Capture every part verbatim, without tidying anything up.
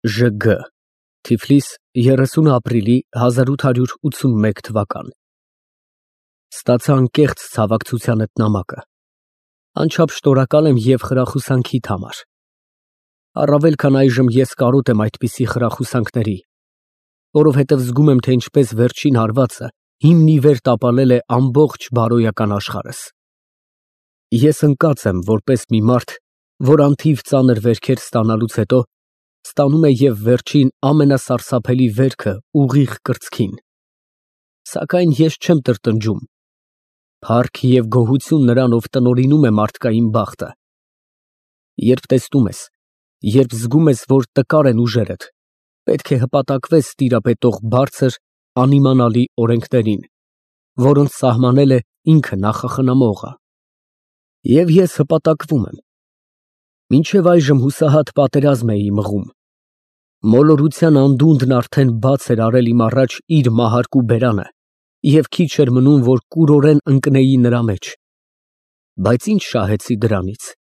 Ժ Գ Թիֆլիս երեսուն ապրիլի հազար ութ հարյուր ութսունմեկ թվական Ստացա անկեղծ ցավակցությանդ նամակը, անչափ շնորհակալ եմ և խրախուսանքիդ համար, առավել քան այժմ ես կարոտ եմ այդպիսի խրախուսանքների, որովհետև զգում եմ, թե ինչպես վերջին հարվածը հիմն ի վեր տապալել է ամբողջ բարոյական աշխարհս։ Ես ընկած եմ, որպես մի մարդ, որ անթիվ ծանր վերքեր ստանալուց հետո ստանում է և վերջին ամենասարսափելի վերքը ուղիղ կրծքին, սակայն ես չեմ տրտնջում, փառք և գոհություն նրան, ով տնօրինում է մարդկային բախտը։ Երբ տեսնում ես, երբ զգում ես, որ տկար են ուժերդ, պետք է հպատակվես տիրապետող բարձր, անիմանալի օրենքներին, որոնց սահմանել է ինքը նախախնամողը։ Եվ ես հպատակվում եմ։ Մինչև այժմ հուսահատ պատերազմ էի մղում, մոլորության անդունդն արդեն բաց էր արել իմ առաջ իր մահարկու բերանը, և քիչ էր մնում, որ կուրորեն ընկնեի նրա մեջ, բայց ի՞նչ շահեցի դրանից։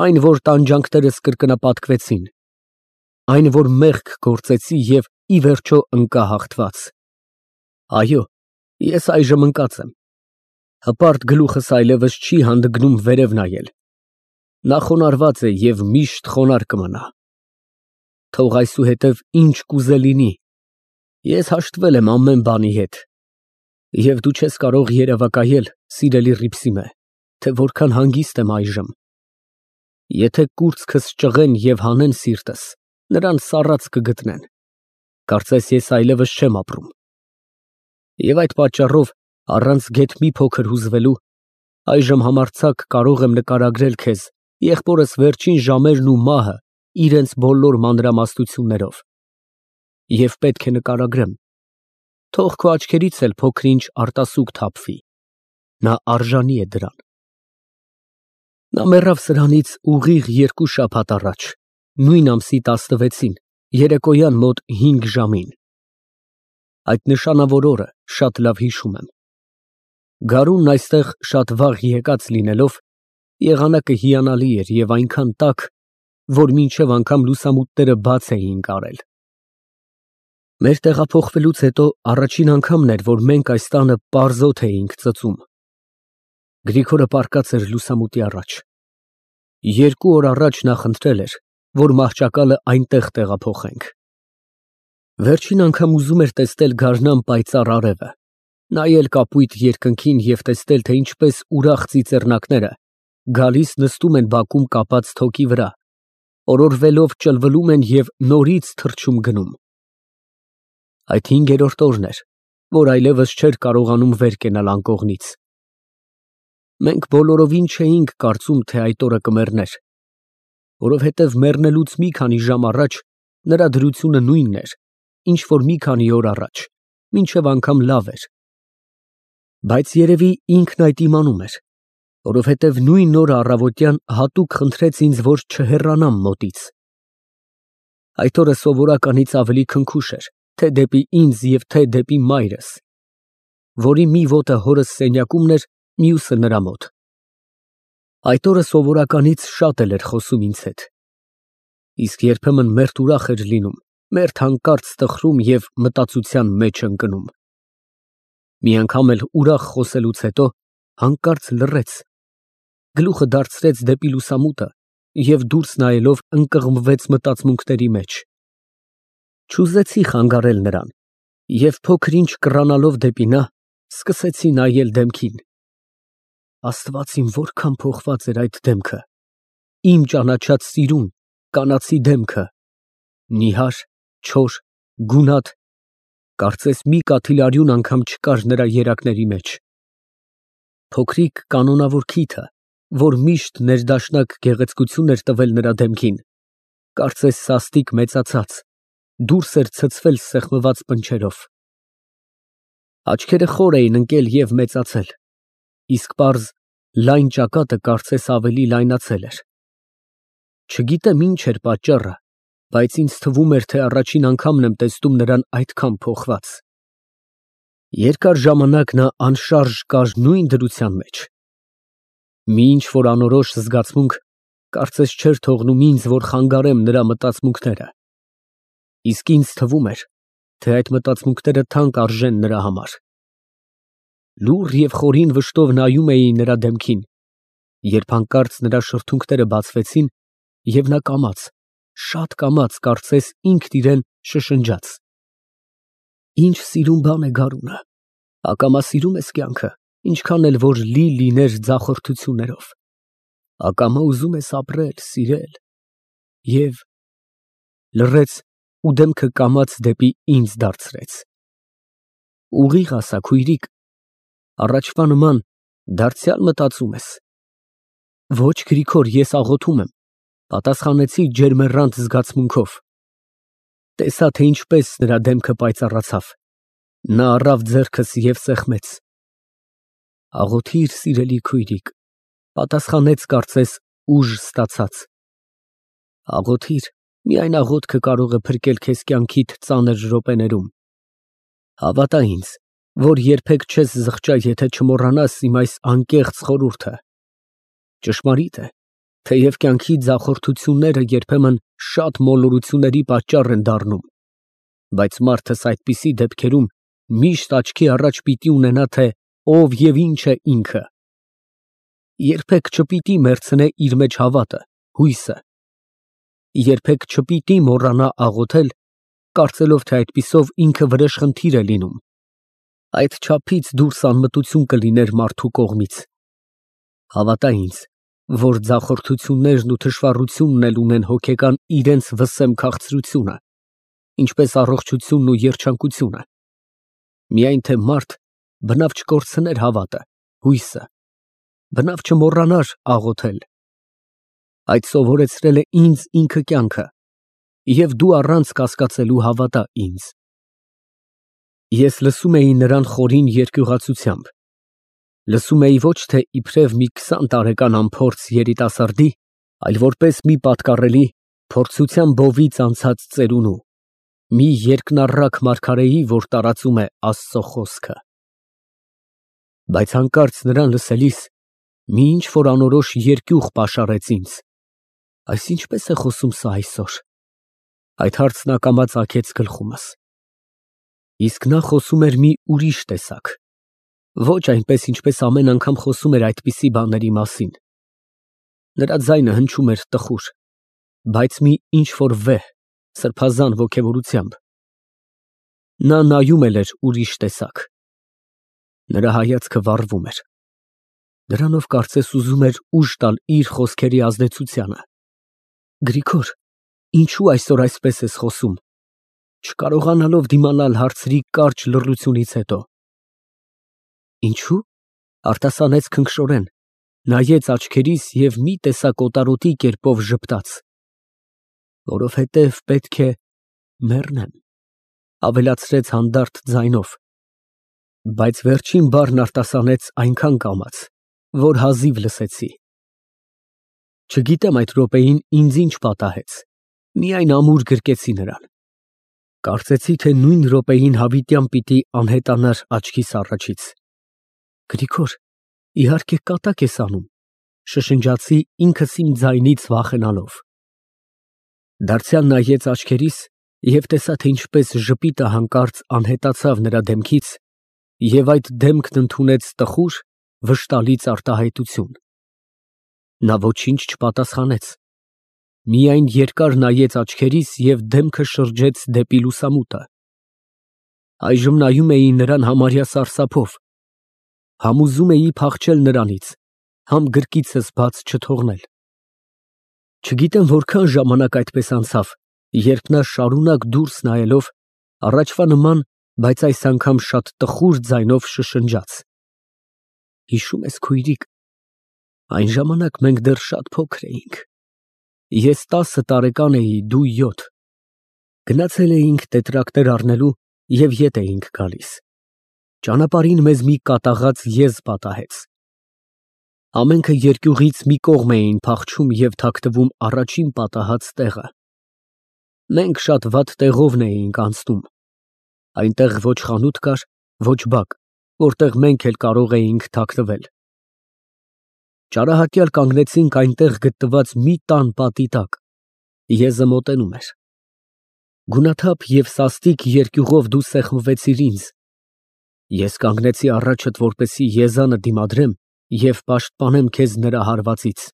Այն, որ տանջանքներս կրկնապատկվեցին, այն, որ մեղք գործեցի և ի վերջո ընկա հաղթված։ Այո, ես այժմ ընկած եմ, հպարտ գլուխս այլևս չի հանդգնում վերև նայել, նա խոնարհված է և միշտ խոնարհ կմնա։ Թող այսուհետև ինչ կուզե լինի, ես հաշտվել եմ ամեն բանի հետ, և դու չես կարող երևակայել, սիրելի Հռիփսիմե, թե որքան հանգիստ եմ այժմ։ Եթե կուրծքս ճղեն և հանեն սիրտս, նրան սառած կգտնեն, կարծես ես այլևս չեմ ապրում։ Եվ այդ պատճառով, առանց գեթ մի փոքր հուզվելու, այժմ համարձակ կարող եմ նկարագրել քեզ եղբորս վերջին ժամերն ու մահը իրենց բոլոր մանրամասնություններով։ Եվ պետք է նկարագրեմ, թող քո աչքերից էլ փոքր-ինչ արտասուք թափվի, նա արժանի է դրան։ Նա մեռավ սրանից ուղիղ երկու շաբաթ առաջ, նույն ամսի տասնվեցին, երեկոյան մոտ հինգ ժամին։ Այդ նշանավոր օրը շատ լավ հիշում եմ։ Գարունն այստեղ շատ վաղ եկած լինելով, եղանակը հիանալի էր և այնքան տաք, որ մինչև անգամ լուսամուտները բաց էին կարել։ Մեր տեղափոխվելուց հետո առաջին անգամն էր, որ մենք այս տանը պարզոտ էինք ծծում։ Գրիգորը պառկած էր լուսամուտի առաջ։ Երկու օր առաջ նա խնդրել էր, որ մահճակալը այնտեղ տեղափոխենք։ Վերջին անգամ ուզում էր տեսնել գարնան պայծառ արևը, նայել կապույտ երկնքին և տեսնել, թե ինչպես ուրախ ծիծեռնակները գալիս նստում են բակում կապած թոկի վրա, օրորվելով ճլվլում են և նորից թռչում գնում։ Այդ հինգերորդ օրն էր, որ այլևս չէր կարողանում վեր կենալ անկողնից։ Մենք բոլորովին չէինք կարծում, թե այդ օրը կմեռներ, որովհետև մեռնելուց մի քանի ժամ առաջ նրա դրությունը նույնն էր, ինչ որ մի քանի օր առաջ, մինչև անգամ լավ էր։ Բայց երևի ինքն այդ իմանում էր, որովհետև նույն օրը առավոտյան հատուկ խնդրեց ինձ, որ չհեռանամ մոտից։ Այդ օրը սովորականից ավելի քնքուշ էր, թե դեպի ինձ և թե դեպի մայրս, որի մի ոտը հորս սենյակումն էր, մյուսը նրա մոտ։ Այդ օրը սովորականից շատ էլ էր խոսում ինձ հետ, իսկ երբեմն մերթ ուրախ էր լինում, մերթ հանկարծ տխրում և մտածության մեջ ընկնում։ Մի անգամ էլ ուրախ խոսելուց հետո հանկարծ լռեց, գլուխը դարձրեց դեպի լուսամուտը և դուրս նայելով ընկղմվեց մտածմունքների մեջ։ Չուզեցի խանգարել նրան և փոքր-ինչ կռանալով դեպի նա, սկսեցի նայել դեմքին։ Աստված իմ, որքան փոխված էր այդ դեմքը, իմ ճանաչած սիրուն, կանացի դեմքը, նիհար, չոր, գունատ, կարծես մի կաթիլարյուն անգամ չկար նրա երակների մեջ։ Փոքրիկ կանոնավոր քիթը, որ միշտ ներդաշնակ գեղեցկություն էր տվել նրա դեմքին, կարծես սաստիկ մեծացած, դուրս էր ցցվել սեղմված պնչերով։ Աչքերը խոր էին ընկել և մեծացել, իսկ պարզ, լայն ճակատը կարծես ավելի լայնացել էր։ Չգիտեմ ինչ էր պատճառը, բայց ինձ թվում էր, թե առաջին անգամն եմ տեսնում նրան այդքան փոխված։ Երկար ժամանակ նա անշարժ կար նույն դրության մեջ։ Մի ինչ֊որ անորոշ զգացմունք կարծես չէր թողնում ինձ, որ խանգարեմ նրա մտածմունքները, Իսկ ինձ թվում էր, թե այդ մտածմունքները թանկ արժեն նրա համար։ Լուռ և խորին վշտով նայում էի նրա դեմքին, երբ հանկարծ նրա շրթունքները բացվեցին, և նա կամաց, շատ կամաց, կարծես ինքն իրեն շշնջաց. «Ինչ սիրուն բան է գարունը, ակամա սիրում ես կյանքը, ինչքան էլ որ լի լիներ ձախորդություններով, ակամա ուզում ես ապրել, սիրել և…» Լռեց ու դեմքը կամաց դեպի ինձ դարձրեց։ «Ուղիղ ասա, քույրիկ, առաջվա նման դարձյալ մտածում ես»։ «Ոչ, Գրիգոր, ես աղոթում եմ», պատասխանեցի ջերմեռանդ զգացմունքով։ Տեսա, թե ինչպես նրա դեմքը պայծառացավ, նա առավ ձեռքս և սեղմեց։ «Աղոթիր, սիրելի քույրիկ», պատասխանեց կարծես ուժ ստացած։ «Աղոթիր, միայն աղոթքը կարող է փրկել քեզ կյանքիդ ծանր րոպեներում։ Հավատա ինձ, որ երբեք չես զղջա, եթե չմոռանաս իմ այս անկեղծ խորհուրդը։ Ճշմարիտ է, թեև կյանքի ձախորդությունները երբեմն շատ մոլորությունների պատճառ են դառնում, բայց մարդս այդպիսի դեպքերում միշտ աչքի առաջ պիտի ունենա, թե ով և ինչ է ինքը։ Երբեք չպիտի մեռցնե իր մեջ հավատը, հույսը։ Երբեք չպիտի մոռանա աղոթել, կարծելով, թե այդպիսով ինքը վրեժխնդիր է լինում, այդ չափից դուրս անմտություն կլիներ մարդու կողմից։ Հավատա ինձ, որ ձախորդություններն ու թշվառությունն էլ ունեն հոգեկան իրենց վսեմ քաղցրությունը, ինչպես առողջությունն ու երջանկությունը, միայն թե մարդ բնավ չկորցներ հավատը, հույսը, բնավ չմոռանար աղոթել։ Այդ սովորեցրել է ինձ ինքը կյանքը, և դու առանց կասկածելու հավատա ինձ։ Ես լսում էի նրան խորին երկյուղացությամբ, լսում էի ոչ թե իբրև մի քսան տարեկան անփորձ երիտասարդի, այլ որպես մի պատկառելի, փորձության բովից անցած ծերունու, մի երկնառակ մարգարեի, որ տարածում է Աստծո խոսքը։ Բայց հանկարծ նրան լսելիս մի ինչ֊որ անորոշ երկյուղ պաշարեց ինձ։ Այս ինչպե՞ս է խոսում սա այսօր։ Այդ հարցն ակամա ծագեց գլխումս։ Իսկ նա խոսում էր մի ուրիշ տեսակ, ոչ այնպես, ինչպես ամեն անգամ խոսում էր այդպիսի բաների մասին։ Նրա ձայնը հնչում էր տխուր, բայց մի ինչ֊որ վեհ, սրբազան ոգևորությամբ։ Նա նայում էլ էր ուրիշ տեսակ։ Նրա հայացքը վառվում էր։ Դրանով կարծես ուզում էր ուժ տալ իր խոսքերի ազդեցությանը։ Գրիգոր, ինչո՞ւ այսօր այսպես ես խոսում, չկարողանալով դիմանալ հարցրի կարճ լռությունից հետո։ Ինչո՞ւ, արտասանեց քնքշորեն, նայեց աչքերիս և մի տեսակ օտարոտի կերպով ժպտաց։ Որովհետև պետք է մեռնեմ, ավելացրեց հանդարտ ձայնով, բայց վերջին բառն արտասանեց այնքան կամաց, որ հազիվ լսեցի։ Չգիտեմ այդ րոպեին ինձ ինչ պատահեց, միայն ամուր գրկեցի նրան։ Կարծեցի, թե նույն րոպեին հավիտյան պիտի անհետանար աչքիս առաջից։ Գրիգոր, իհարկե կատակ ես անում, շշնջացի ինքս իմ ձայնից վախենալով։ Դարձյալ նայեց աչքերիս և տեսա, թե ինչպես ժպիտը հանկարծ անհետացավ նրա դեմքից, և այդ դեմքն ընդունեց տխուր, վշտալից արտահայտություն։ Նա ոչինչ չպատասխանեց, միայն երկար նայեց աչքերիս և դեմքը շրջեց դեպի լուսամուտը։ Այժմ նայում էի նրան համարյա սարսափով, համ ուզում էի փախչել նրանից, համ գրկիցս բաց չթողնել։ Չգիտեմ որքան ժամանակ այդպես անցավ, երբ նա շարունակ դուրս նայելով, առաջվա նման, բայց այս անգամ շատ տխուր ձայնով շշնջաց. «Հիշո՞ւմ ես, քույրիկ, այն ժամանակ մենք դեռ շատ փոքր էինք, ես տասը տարեկան էի, դու յոթ, գնացել էինք տետրակներ առնելու և ետ էինք գալիս, ճանապարհին մեզ մի կատաղած եզ պատահեց։ Ամենքը երկյուղից մի կողմ էին փախչում և թաքնվում առաջին պատահած տեղը։ Մենք շատ վատ տեղովն էինք անցնում, այնտեղ ոչ խանութ կար, ոչ բակ, որտեղ մենք էլ կարող էինք թաքնվել։ Ճարահատյալ կանգնեցինք այնտեղ գտնված մի տան պատի տակ, եզը մոտենում էր։ Գունաթափ և սաստիկ երկյուղով դու սեղմվեցիր ինձ, ես կանգնեցի առաջդ, որպեսզի եզանը դիմադրեմ և պաշտպանեմ քեզ նրա հարվածից։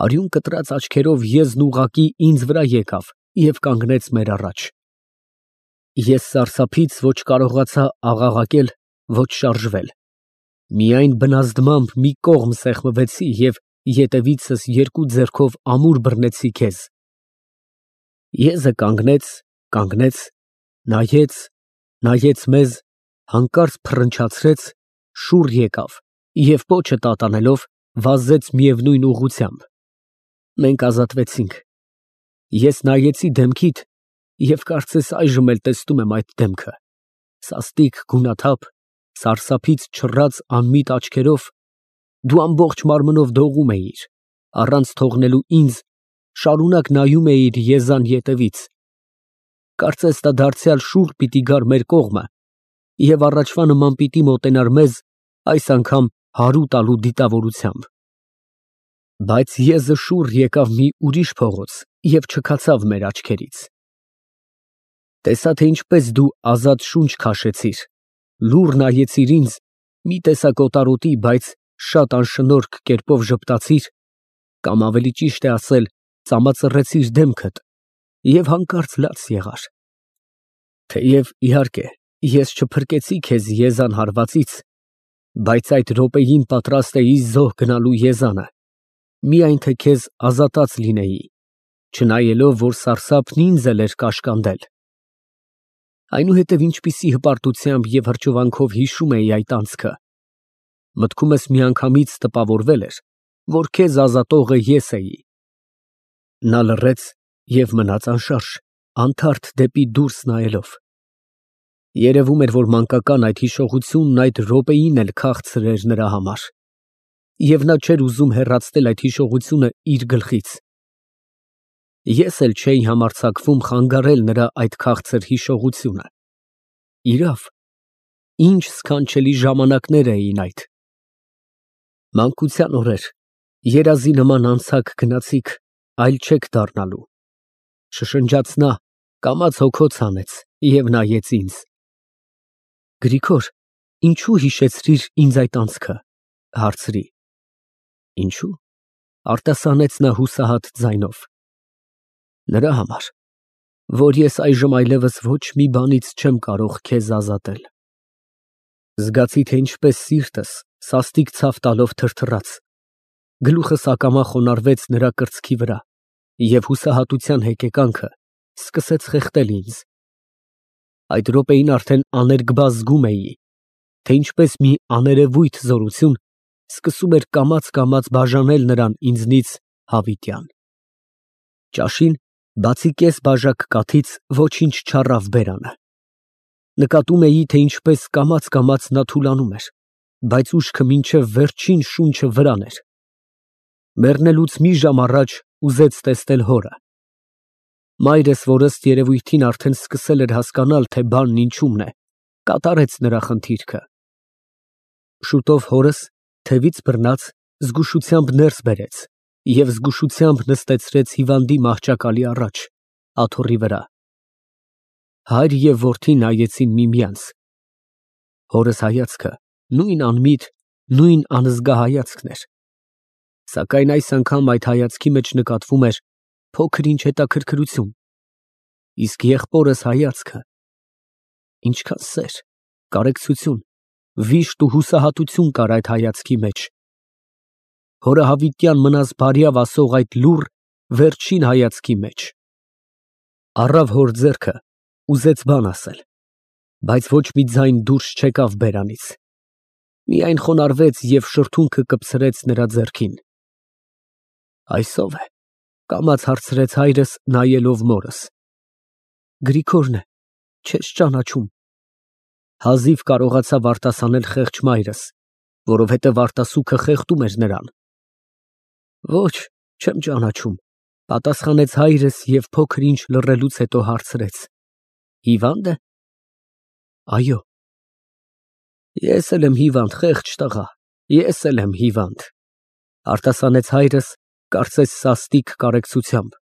Արյուն կտրած աչքերով եզն ուղղակի ինձ վրա եկավ և կանգնեց մեր առաջ։ Ես սարսափից ոչ կարողացա աղաղակել, ոչ շարժվել, միայն բնազդմամբ մի կողմ սեղմվեցի և ետևիցս երկու ձեռքով ամուր բռնեցի քեզ։ Եզը կանգնեց, կանգնեց, նայեց, նայեց մեզ, հանկարծ փռնչացրեց, շուռ եկավ և պոչը տատանելով, վազեց միևնույն ուղղությամբ։ Մենք ազատվեցինք։ Ես նայեցի դեմքիդ և կարծես այժմ էլ տեսնում եմ այդ դեմքը, սաստիկ, գունաթափ, սարսափից չռած անմիտ աչքերով, դու ամբողջ մարմնով դողում էիր, առանց թողնելու ինձ, շարունակ նայում էիր եզան ետևից, կարծես նա դարձյալ շուռ պիտի գար մեր կողմը և առաջվա նման պիտի մոտենար մեզ, այս անգամ հարու տալու դիտավորությամբ։ Բայց եզը շուռ եկավ մի ուրիշ փողոց և չքացավ մեր աչքերից։ Տեսա, թե ինչպես դու ազատ շունչ քաշեցիր, լուռ նայեցիր ինձ, մի տեսակ օտարոտի, բայց շատ անշնորհք կերպով ժպտացիր, կամ ավելի ճիշտ է ասել, ծամածռեցիր դեմքդ և հանկարծ լաց եղար։ Թեև, իհարկե, ես չփրկեցի քեզ եզան հարվածից, բայց այդ րոպեին պատրաստ էի զոհ գնալու եզանը, միայն թե քեզ ազատած լինեի, չնայելով, որ սարսափն ինձ էլ էր կաշկանդել։ Այնուհետև ինչպիսի հպարտությամբ և հրճվանքով հիշում էի այդ անցքը, մտքումս միանգամից տպավորվել էր, որ քեզ ազատողը ես էի։ Նա լռեց և մնաց անշարժ, անթարթ դեպի դուրս նայելով։ Երևում էր, որ մանկական այդ հիշողությունն այդ րոպեին էլ քաղցր էր նրա համար, և նա չէր ուզում հեռացնել այդ հիշողությունը իր գլխից։ Ես էլ չէի համարձակվում խանգարել նրա այդ քաղցր հիշողությունը։ Իրավ, ինչ սքանչելի ժամանակներ էին այդ։ Մանկության օրեր, երազի նման անցեք գնացիք, այլ չեք դառնալու, շշնջաց նա, կամաց հոգոց հանեց և նայեց ինձ։ Գրիգոր, ինչո՞ւ հիշեցրիր ինձ այդ անցքը, հարցրի։ Ինչո՞ւ, արտասանեց նա հուսահատ ձայնով։ Նրա համար, որ ես այժմ այլևս ոչ մի բանից չեմ կարող քեզ ազատել։ Զգացի, թե ինչպես սիրտս սաստիկ ցավ տալով թրթռաց, գլուխս ակամա խոնարհվեց նրա կրծքի վրա և հուսահատության հեկեկանքը սկսեց խեղդել ինձ։ Այդ րոպեին արդեն աներկբա զգում էի, թե ինչպես մի աներևույթ զորություն սկսում էր կամաց֊կամաց բաժանել նրան ինձնից հավիտյան։ Ճաշին, բացի կես բաժակ կաթից, ոչինչ չառավ բերանը։ Նկատում էի, թե ինչպես կամաց֊կամաց նա թուլանում էր, բայց ուշքը մինչև վերջին շունչը վրան էր։ Մեռնելուց մի ժամ առաջ ուզեց տեսնել հորը։ Մայրս, որ ըստ երևույթին արդեն սկսել էր հասկանալ, թե բանն ինչումն է, կատարեց նրա խնդիրքը։ Շուտով հորս, թևից բռնած, զգուշությամբ ներս բերեց և զգուշությամբ նստեցրեց հիվանդի մահճակալի առաջ, աթոռի վրա։ Հայր և որդի նայեցին միմյանց։ Հորս հայացքը նույն անմիտ, նույն անզգա հայացքն էր, սակայն այս անգամ այդ հայացքի մեջ նկատվում էր փոքր֊ինչ հետաքրքրություն, իսկ եղբորս հայացքը… ինչքան սեր, կարեկցություն, վիշտ ու հուսահատություն կար այդ հայացքի մեջ։ Հորը հավիտյան մնաս բարյավ ասող այդ լուռ, վերջին հայացքի մեջ։ Առավ հոր ձեռքը, ուզեց բան ասել, բայց ոչ մի ձայն դուրս չեկավ բերանից, միայն խոնարհվեց և շրթունքը կպցրեց նրա ձեռքին։ Այս ո՞վ է, կամաց հարցրեց հայրս, նայելով մորս։ Գրիգորն է, չես ճանաչում, հազիվ կարողացավ արտասանել խեղճ մայրս, որովհետև արտասուքը խեղդում էր նրան։ Ոչ, չեմ ճանաչում, պատասխանեց հայրս և փոքր-ինչ լռելուց հետո հարցրեց. Հիվա՞նդ է։ Այո։ Ես էլ եմ հիվանդ, խեղճ տղա, ես էլ եմ հիվանդ, արտասանեց հայրս, կարծես սաստիկ կարեկցությամբ,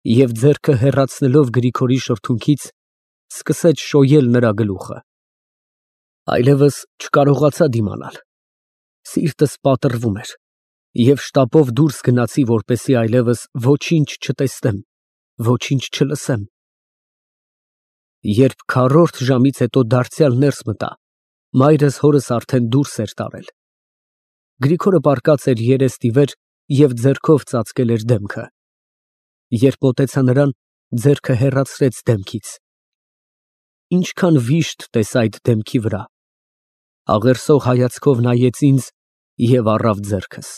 Եվ ձեռքը հեռացնելով Գրիգորի շրթունքից, սկսեց շոյել նրա գլուխը։ Այլևս չկարողացա դիմանալ։ Սիրտս պատռվում էր, և շտապով դուրս գնացի, որպեսզի այլևս ոչինչ չտեսնեմ, ոչինչ չլսեմ։ Երբ քառորդ ժամից հետո դարձյալ ներս մտա, մայրս հորս արդեն դուրս էր տարել։ Գրիգորը պառկած էր երեստի վեր և ձեռքով ծածկել էր դեմքը։ Երբ մոտեցա նրան, ձեռքը հեռացրեց դեմքից։ Ինչքան վիշտ տեսա այդ դեմքի վրա։ Աղերսող հայացքով նայեց ինձ և առավ ձեռքս։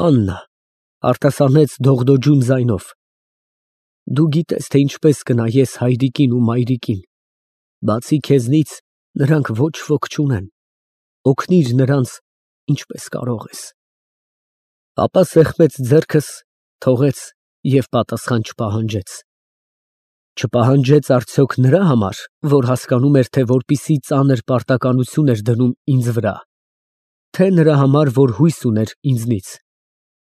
Աննա, արտասանեց դողդոջուն ձայնով, դու գիտես, թե ինչպես կնայես հայրիկին ու մայրիկին, բացի քեզնից նրանք ոչ ոք չունեն, օգնիր նրանց, ինչպես կարող ես։ Ապա սեղմեց ձեռքս, թողեց և պատասխան չպահանջեց։ Չպահանջեց արդյոք նրա համար, որ հասկանում էր, թե որպիսի ծանր պարտականություն էր դնում ինձ վրա, թե նրա համար, որ հույս ուներ ինձնից։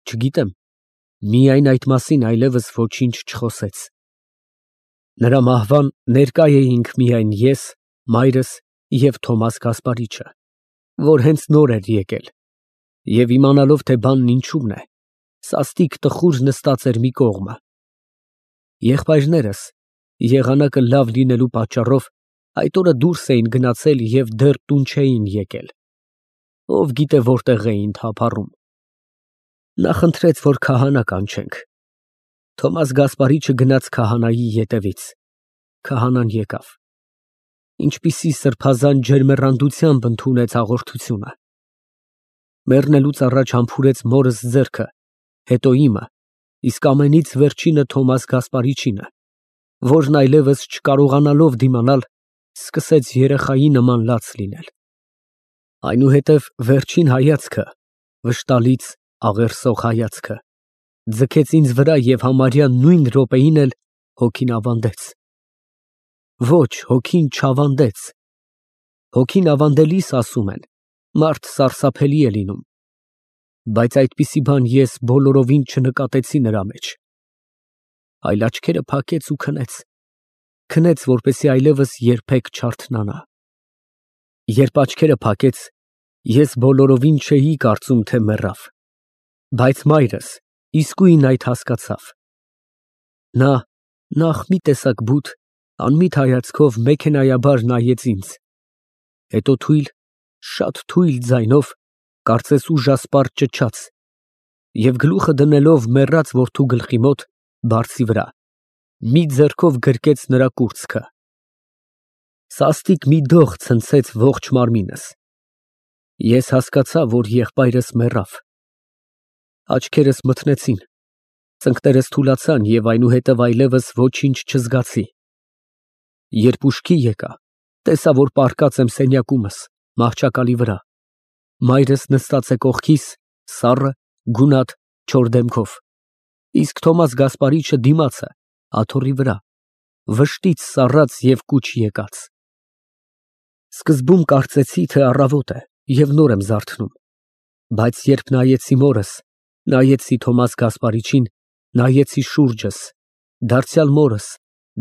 Չգիտեմ, միայն այդ մասին այլևս ոչինչ չխոսեց։ Նրա մահվան ներկա էինք միայն ես, մայրս և Թոմաս Գասպարիչը, որ հենց նոր էր եկել, և իմանալով, թե բանն ինչումն է, սաստիկ տխուր նստած էր մի կողմը։ Եղբայրներս, եղանակը լավ լինելու պատճառով, այդ օրը դուրս էին գնացել և դեռ տուն չէին եկել։ Ով գիտե որտեղ էին թափառում։ Նա խնդրեց, որ քահանա կանչենք։ Թոմաս Գասպարիչը գնաց քահանայի ետևից։ Քահանան եկավ։ Ինչպիսի սրբազան ջերմեռանդությամբ ընդունեց հաղորդությունը։ Մեռնելուց առաջ համբուրեց մորս ձեռքը, հետո իմը, իսկ ամենից վերջինը Թոմաս Գասպարիչինը, որն այլևս չկարողանալով դիմանալ, սկսեց երեխայի նման լաց լինել։ Այնուհետև վերջին հայացքը, վշտալից աղերսող հայացքը, ձգեց ինձ վրա և համարյա նույն րոպեին էլ հոգին ավանդեց։ Ոչ, հոգին չավանդեց։ Հոգին ավանդելիս, ասում են, մարդ սարսափելի է լինում, բայց այդպիսի բան ես բոլորովին չնկատեցի նրա մեջ։ Այլ աչքերը փակեց ու քնեց, քնեց, որպեսզի այլևս երբեք չարթնանա։ Երբ աչքերը փակեց, ես բոլորովին չէի կարծում, թե մեռավ, բայց մայրս իսկույն այդ հասկացավ։ Նա նախ մի տեսակ բութ, անմիտ հայացքով մեքենայաբար նայեց ինձ, հետո թույլ, շատ թույլ ձայնով, կարծես ուժասպառ ճչաց և գլուխը դնելով մեռած որդու գլխի մոտ, բարձի վրա, մի ձեռքով գրկեց նրա կուրծքը։ Սաստիկ մի դող ցնցեց ողջ մարմինս։ Ես հասկացա, որ եղբայրս մեռավ։ Աչքերս մթնեցին, ծնկներս թուլացան և այնուհետև այլևս ոչինչ չզգացի։ Երբ ուշքի եկա, տեսա, որ պառկած եմ սենյակումս, մահճակալի վրա։ Մայրս նստած է կողքիս, սառը, գունատ, չոր դեմքով, իսկ Թոմաս Գասպարիչը դիմացը, աթոռի վրա, վշտից սառած և կուչ եկած։ Սկզբում կարծեցի, թե առավոտ է և նոր եմ զարթնում, բայց երբ նայեցի մորս, նայեցի Թոմաս Գասպարիչին, նայեցի շուրջս, դարձյալ մորս,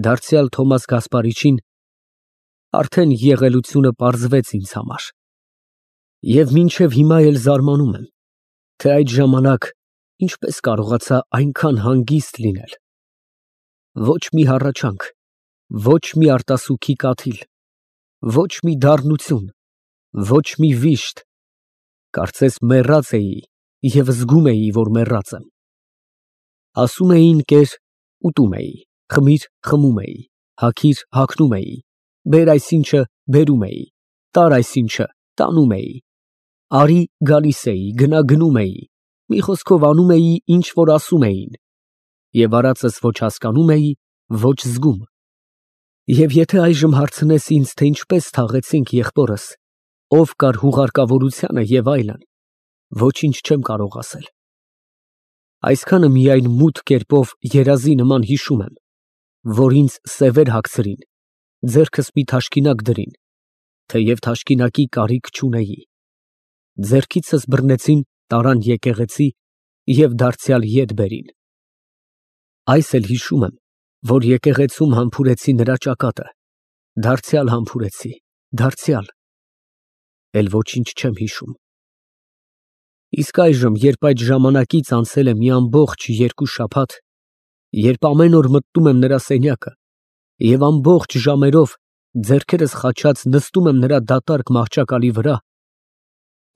դարձյալ Թոմաս Գասպարիչին, արդեն եղելությունը պարզվեց ինձ համար։ Եվ մինչև հիմա էլ զարմանում եմ, թե այդ ժամանակ ինչպես կարողացա այնքան հանգիստ լինել։ Ոչ մի հառաչանք, ոչ մի արտասուքի կաթիլ, ոչ մի դառնություն, ոչ մի վիշտ, կարծես մեռած էի և զգում էի, որ մեռած եմ։ Ասում էին կեր, ուտում էի, խմիր, խմում էի, հագիր, հագնում էի, բեր այսինչը, բերում էի, տար այսինչը, տանում էի, արի, գալիս էի, գնա, գնում էի, մի խոսքով անում էի, ինչ որ ասում էին, և արածս ոչ հասկանում էի, ոչ զգում։ Եվ եթե այժմ հարցնես ինձ, թե ինչպես թաղեցինք եղբորս, ով կար հուղարկավորությանը և այլն, ոչինչ չեմ կարող ասել։ Այսքանը միայն մութ կերպով երազի նման հիշում եմ, որ ինձ սևեր հագցրին, ձեռքս մի թաշկինակ դրին, թեև թաշկինակի կարիք չունեի, ձեռքիցս բռնեցին, տարան եկեղեցի և դարձյալ ետ բերին։ Այս էլ հիշում եմ, որ եկեղեցում համբուրեցի նրա ճակատը, դարձյալ համբուրեցի, դարձյալ, էլ ոչինչ չեմ հիշում։ Իսկ այժմ, երբ այդ ժամանակից անցել է մի ամբողջ երկու շաբաթ, երբ ամեն օր մտնում եմ նրա սենյակը և ամբողջ ժամերով ձեռքերս խաչած նստում եմ նրա դատարկ մահճակալի վրա,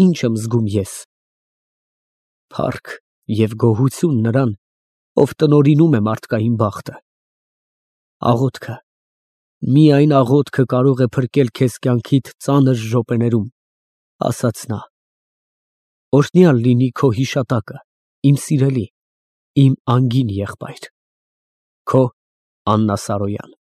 ի՞նչ եմ զգում ես։ Փառք և գոհություն նրան, ով տնօրինում է մարդկային բախտը։ Աղոթքը, միայն աղոթքը կարող է փրկել քեզ կյանքիդ ծանր րոպեներում, ասաց նա։ Օրհնյալ լինի քո հիշատակը, իմ սիրելի, իմ անգին եղբայր, քո Աննա Սարոյան։